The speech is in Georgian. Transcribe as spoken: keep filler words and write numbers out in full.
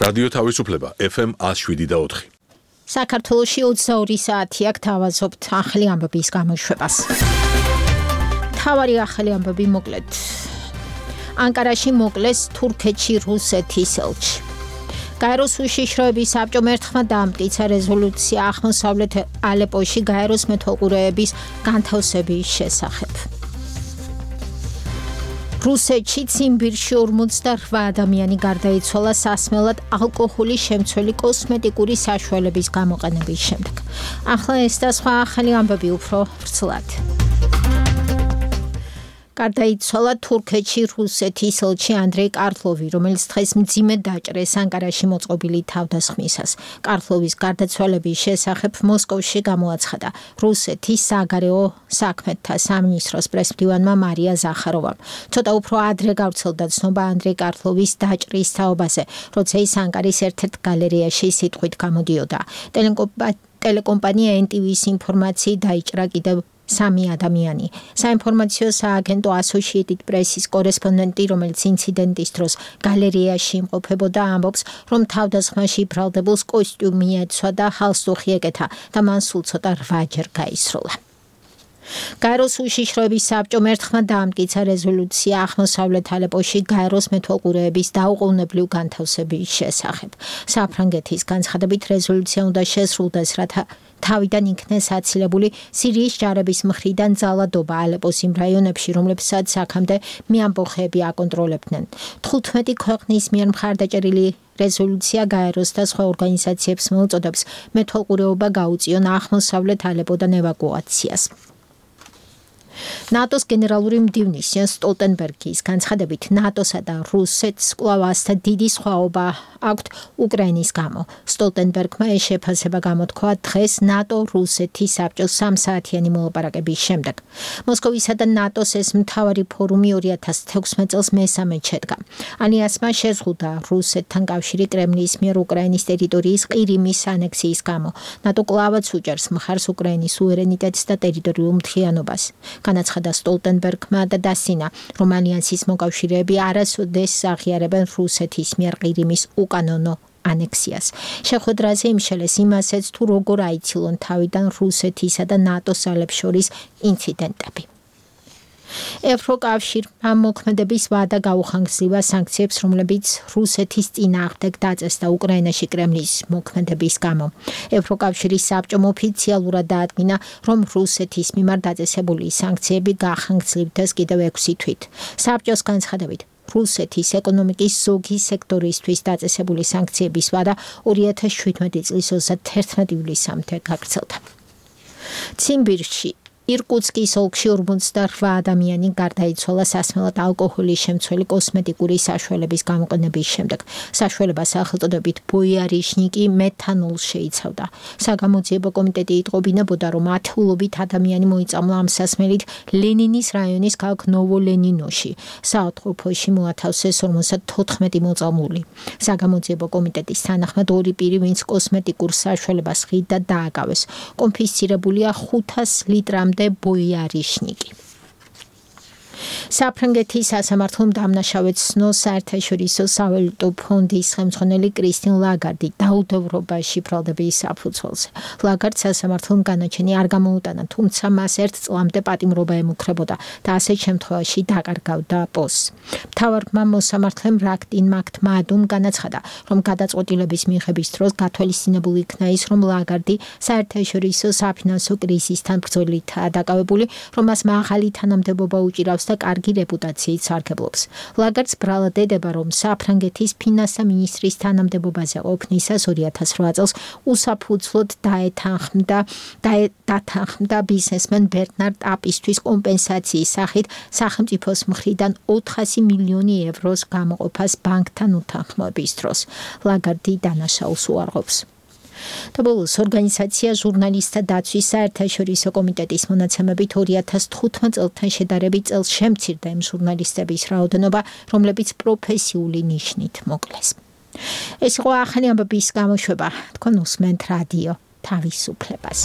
რადიო თავისუფლება ეფ ემ one oh seven და four. საქართველოში ოცდაორი საათი აქ თავაზობთ ახალი ამბების გამოშვებას. თავარი ახალი ამბები მოკლედ. ანკარაში მოკლეს თურქეთში რუსეთის ელჩი. გაეროს უშიშროების საბჭომ ერთხმად დაამტკიცა რეზოლუცია აღმოსავლეთ ალეპოში გაეროს მეთვალყურეების განთავსების შესახებ. რუსეთში ციმბირში ორმოცდაოთხ ადამიანი გარდაიცვალა სასმელად ალკოჰოლის შემცველი კოსმეტიკური საშუალების გამოყენების შემდეგ. ახლა ეს და სხვა ახალი ამბები უფრო ვრცლად. გარდაიცვალა თურქეთში რუსეთის ელჩი ანდრეი კარლოვი, რომელიც დღეს მძიმედ დაჭრეს ანკარაში მოწყობილი თავდასხმისას. კარლოვის გარდაცვალების შესახებ მოსკოვში გამოაცხადა რუსეთის საგარეო საქმეთა სამინისტროს პრესმდივანმა მარია ზახაროვამ. ცოტა უფრო ადრე გავრცელდა ცნობა ანდრეი კარლოვის დაჭრის თაობაზე, როცა ის ანკარის ერთ-ერთ გალერეაში სიტყვით გამოდიოდა. ტელეკომპანია ენ ტი ვი-ის ინფორმაციით დაიჭრა კიდევ სამი ადამიანი. საინფორმაციო სააგენტო Associated Press-ის კორესპონდენტი, რომელიც ინციდენტის დროს გალერეაში იმყოფებოდა, ამბობს, რომ თავდასხმაში ბრალდებულს კოსტიუმი ეცვა და ჰალსტუხი ეკეთა და მან სულ ცოტა რვაჯერ გაისროლა. გაეროს უშიშროების საბჭომ ერთხმად დაამტკიცა რეზოლუცია აღმოსავლეთ ალეპოში გაეროს მეთვალყურეების დაუყოვნებლივ განთავსების შესახებ. საფრანგეთის განცხადებით რეზოლუცია უნდა შესრულდეს, რათა თავიდან იქნეს აცილებული სირიის ჯარების მხრიდან ძალადობა ალეპოს იმ რაიონებში, რომლებსაც აქამდე მეამბოხეები აკონტროლებდნენ. თხუთმეტი ქვეყნის მიერ მხარდაჭერილი რეზოლუცია გაეროს და სხვა ორგანიზაციებს მოუწოდებს მეთვალყურეობა გაუწიონ აღმოსავლეთ ალეპოდან ევაკუაციას. ნატოს გენერალური მდივნის იენს სტოლტენბერგის განცხადებით ნატოსა და რუსეთს კვლავ ასთა დიდი სხვაობა აქვთ უკრაინის გამო. სტოლტენბერგმა ეს შეფასება გამოთქვა დღეს ნატო-რუსეთის საბჭოს სამსაათიანი მოლაპარაკების შემდეგ. მოსკოვისა და ნატოს ეს მთავარი ფორუმი ორი ათას თექვსმეტ წელს მესამედ შედგა. ალიასმა შეზღუდა რუსეთთან კავშირი კრემლის მიერ უკრაინის ტერიტორიის ყირიმის ანექსიის გამო. ნატო კვლავაც უჭერს მხარს უკრაინის სუვერენიტეტს და ტერიტორიულ მთლიანობას. განაცხადა სტოლტენბერგმა და დასინა, რომ ალიანსის მოკავშირეები არასოდეს აღიარებენ რუსეთის მიერ ყირიმის უკანონო ანექსიას. შეხვედრაზე იმშელეს იმასაც, თუ როგორ აიცილონ თავიდან რუსეთისა და ნატოს ძალებს შორის ინციდენტები. ევროკავშირმა მოქმედების ვადა გაუხანგრძლივა სანქციებს, რომლებიც რუსეთის წინააღმდეგ დაწესდა უკრაინაში კრემლის მოქმედების გამო. ევროკავშირის საბჭომ ოფიციალურად დაადგინა, რომ რუსეთის მიმართ დაწესებული სანქციები გაახანგრძლივდეს კიდევ ექვსი თვით. საბჭოს განცხადებით, რუსეთის ეკონომიკის ზოგი სექტორისთვის დაწესებული სანქციების ვადა ორი ათას შვიდმეტი წლის ოცდაათი ივლისამდე გაგრძელდა. ციმბირში ირკუტსკის ოლქში ორმოცდაოთხ ადამიანი გარდაიცვალა სასმელად ალკოჰოლის შემცველი კოსმეტიკური საშუალების გამოყენების შემდეგ. საშუალება სახელწოდებით ბოიარიშნიკი მეთანოლს შეიცავდა. საგამოძიებო კომიტეტი იტყობინებოდა, რომ ათეულობით ადამიანი მოიწამლა ამ სასმელით ლენინის რაიონის ქალაქ ნოვო-ლენინოში. საავადმყოფოში მოათავსეს ორმოცდათოთხმეტი მოწამული. საგამოძიებო კომიტეტის თანახმად ორი პირი, ვინც კოსმეტიკურ საშუალებას ხიდდა, დააკავეს. კონფისცირებულია ხუთას ლიტრამდე ბოიარიშნიკი. საფრანგეთის სასამართლომ დამნაშავე ცნოს საერთაშორისო სავალუტო ფონდის ხელმძღვანელი კრისტინ ლაგარდი დაუდევრობაში ბრალდების საფუძველზე. ლაგარდს სასამართლომ განაჩენი არ გამოუტანა, თუმცა მას ერთ წლამდე პატიმრობა ემუქრებოდა და ასეთ შემთხვევაში დაკარგავდა პოსტს. მთავარმა მოსამართლემ რაქტინ მაგთ მადუმ განაცხადა, რომ გადაწყვეტილების მიღების დროს გათვალისწინებული იქნა ის, რომ ლაგარდი საერთაშორისო საფინანსო კრიზისთან ბრძოლითაა დაკავებული, რომ მას მაღალი თანამდებობა უჭირავს და კარგი რეპუტაციით სარგებლობს. ლაგარდს ბრალად ედება, რომ საფრანგეთის ფინანსთა მინისტრის თანამდებობაზე ყოფნისას ორი ათას რვა წელს უსაფუძვლოდ დაეთანხმდა დათანხმდა ბიზნესმენ ბერნარ ტაპისთვის კომპენსაციის სახით სახელმწიფოს მხრიდან ოთხასი მილიონი ევროს გამოყოფას ბანკთან უთანხმოების დროს. ლაგარდი დანაშაულს უარყოფს. და ბოლოს ორგანიზაცია ჟურნალისტთა დაცვის საერთაშორისო კომიტეტის მონაცემებით ორი ათას თხუთმეტ წელთან შედარებით წელს შემცირდა იმ ჟურნალისტების რაოდენობა, რომლებიც პროფესიული ნიშნით მოკლეს. ეს იყო ახალი ამბების გამოშვება. თქვენ უსმენთ რადიო თავისუფლებას.